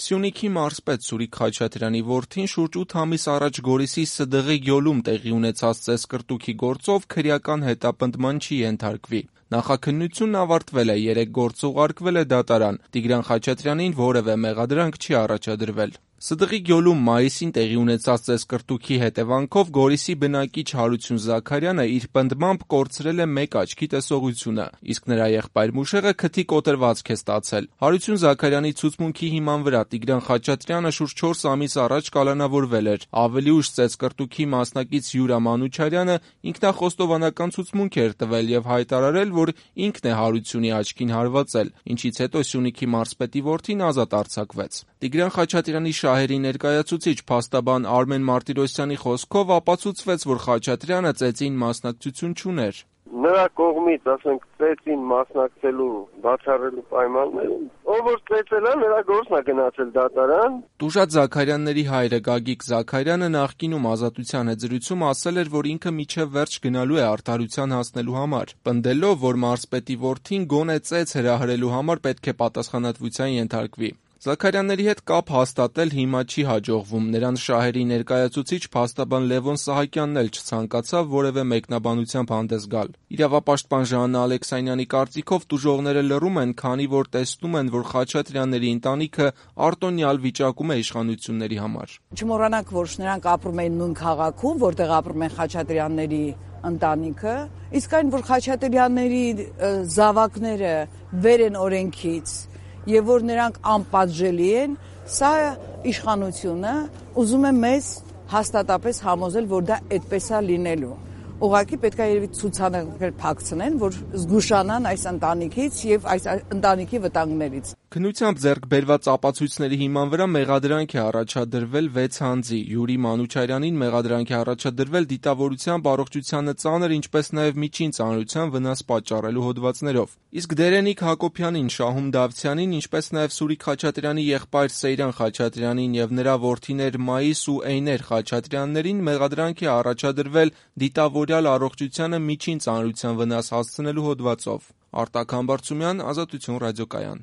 Սյունիքի մարզպետ Սուրիկ Խաչատրյանի որդին շուրջ 8 ամիս առաջ Գորիսի Սդղի գյուղում տեղի ունեցած ծեսկռտուքի գործով քրեական հետապնդման չի ենթարկվի։ Նախաքննությունն ավարտվել է, 3 գործ ուղարկվել է դատարան, Տիգրան Խաչատրյանին որևէ մեղադրանք չի առաջադրվել։ Սդղի գյուղում մայիսին տեղի ունեցած ծեսկռտուքի հետևանքով Գորիսի բնակիչ Հարություն Զաքարյանը իր պնդմամբ կորցրել է մեկ աչքի տեսողությունը, իսկ նրա եղբայր Մուշեղը քթի կոտրվածք է ստացել։ Հարություն Զաքարյանի ցուցմունքի հիման վրա Տիգրան Խաչատրյանը շուրջ 4 ամիս առաջ կալանավորվել էր։ Ավելի ուշ ծեսկռտուքի մասնակից Յուրա Մանուչարյանը ինքնախոստովանական ցուցմունք էր տվել եւ հայտարարել, որ ինքն է Հարությունի աչքին հարվածել, ինչից հետո Սյունիքի մարզպետի որդին ազատ արձակվեց։ Տիգրան Խաչատրյանի շահերի ներկայացուցիչ փաստաբան Արմեն Մարտիրոսյանի խոսքով ապացուցվեց, որ Խաչատրյանը ծեծին մասնակցություն չուներ։ Նրա կողմից, ասենք, ծեծին մասնակցելու բացառելու պայմաններում, ով որ ծեծել է, նրա գործն է գնացել դատարան։ Տուժած Զաքարյանների հայրը Գագիկ Զաքարյանը նախկինում Ազատության հետ զրույցում ասել էր, որ ինքը մինչև վերջ գնալու է արդարության հասնելու համար, պնդելով, որ մարզպետի որդին գոնե ծեծ հրահրելու համար պետք է պատասխանատվության ենթարկվի։ Զաքարյանների հետ կապ հաստատել հիմա չի հաջողվում, նրանց շահերի ներկայացուցիչ փաստաբան Լևոն Սահակյանն էլ չցանկացավ որևէ մեկնաբանությամբ հանդես գալ։ Իրավապաշտպան Ժաննա Ալեքսանյանի կարծիքով տուժողները լռում են, քանի որ տեսնում են, որ Խաչատրյանների ընտանիքը արտոնյալ վիճակում է իշխանությունների համար։ Չմոռանանք, որ նրանք ապրում են նույն քաղաքում, որտեղ ապրում են Խաչատրյանների ընտանիքը, իսկ այն, որ Խաչատրյանների զավակները վեր են օրենքից եւ որ նրանք անպատժելի են, սա իշխանությունը ուզում է մեզ հաստատապես համոզել, որ դա այդպես է լինելու։ Ուղղակի պետք է երևի ցուցանակներ փակցնեն, որ զգուշանան այս ընտանիքից եւ այս ընտանիքի վտանգներից։ Քննությամբ ձեռք բերված ապացույցների հիման վրա մեղադրանք է առաջադրվել 6 անձի։ Յուրի Մանուչարյանին մեղադրանք է առաջադրվել դիտավորությամբ առողջությանը ծանր, ինչպես նաև միջին ծանրության վնաս պատճառելու հոդվածներով։ Իսկ Դերենիկ Հակոբյանին, Շահում Դավթյանին, ինչպես նաև Սուրիկ Խաչատրյանի եղբայր Սեյրան Խաչատրյանին եւ նրա որդիներ Մայիս ու Էյներ Խաչատրյաններին մեղադրանք է առաջադրվել դիտավորյալ առողջությանը միջին ծանրության վնաս հասցնելու հոդվածով։ Արտակ Համբարձումյան, Ազատություն ռադիոկայան։